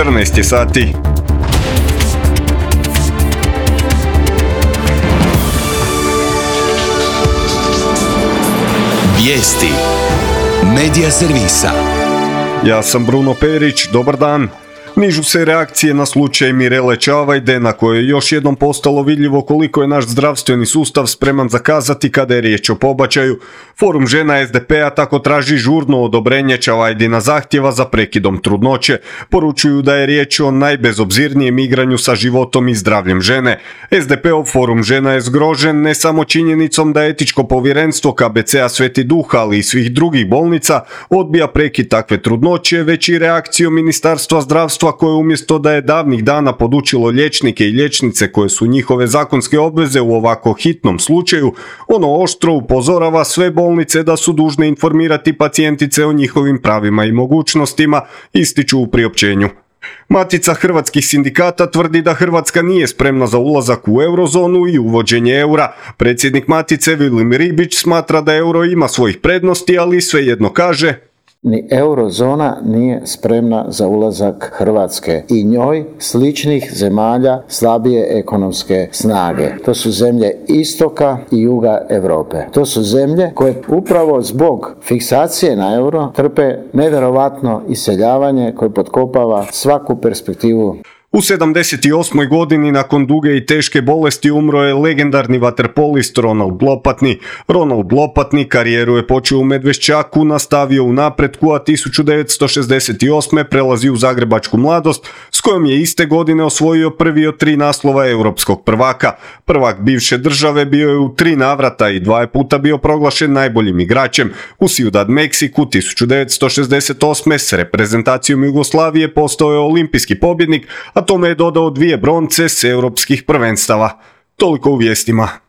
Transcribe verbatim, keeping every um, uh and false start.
četrnaest je sati. Vijesti Medija servisa. Ja sam Bruno Perić, dobar dan. Nižu se reakcije na slučaj Mirele Čavajde, na kojoj je još jednom postalo vidljivo koliko je naš zdravstveni sustav spreman zakazati kada je riječ o pobačaju. Forum žena es de pe-a tako traži žurno odobrenje Čavajdina zahtjeva za prekidom trudnoće. Poručuju da je riječ o najbezobzirnijem igranju sa životom i zdravljem žene. es de pe-ov Forum žena je zgrožen ne samo činjenicom da etičko povjerenstvo ka be ce-a Sveti Duh, ali i svih drugih bolnica odbija prekid takve trudnoće, već i reakcijom Ministarstva zdravstva koje umjesto da je davnih dana podučilo liječnike i liječnice koje su njihove zakonske obveze u ovako hitnom slučaju, ono oštro upozorava sve bolnice da su dužne informirati pacijentice o njihovim pravima i mogućnostima, ističu u priopćenju. Matica hrvatskih sindikata tvrdi da Hrvatska nije spremna za ulazak u eurozonu i uvođenje eura. Predsjednik Matice Vilim Ribić smatra da euro ima svojih prednosti, ali svejedno kaže: ni eurozona nije spremna za ulazak Hrvatske i njoj sličnih zemalja slabije ekonomske snage. To su zemlje istoka i juga Europe. To su zemlje koje upravo zbog fiksacije na euro trpe nevjerovatno iseljavanje koje potkopava svaku perspektivu. U sedamdeset osmoj godini nakon duge i teške bolesti umro je legendarni vaterpolist Ronald Lopatni. Ronald Lopatni karijeru je počeo u Medveščaku, nastavio u napretku, a tisuću devetsto šezdeset osme prelazi u Zagrebačku Mladost, s kojom je iste godine osvojio prvi od tri naslova europskog prvaka. Prvak bivše države bio je u tri navrata i dva je puta bio proglašen najboljim igračem. U Ciudad Meksiku tisuću devetsto šezdeset osme s reprezentacijom Jugoslavije postao je olimpijski pobjednik, a tome je dodao dvije bronce s europskih prvenstava. Toliko u vijestima.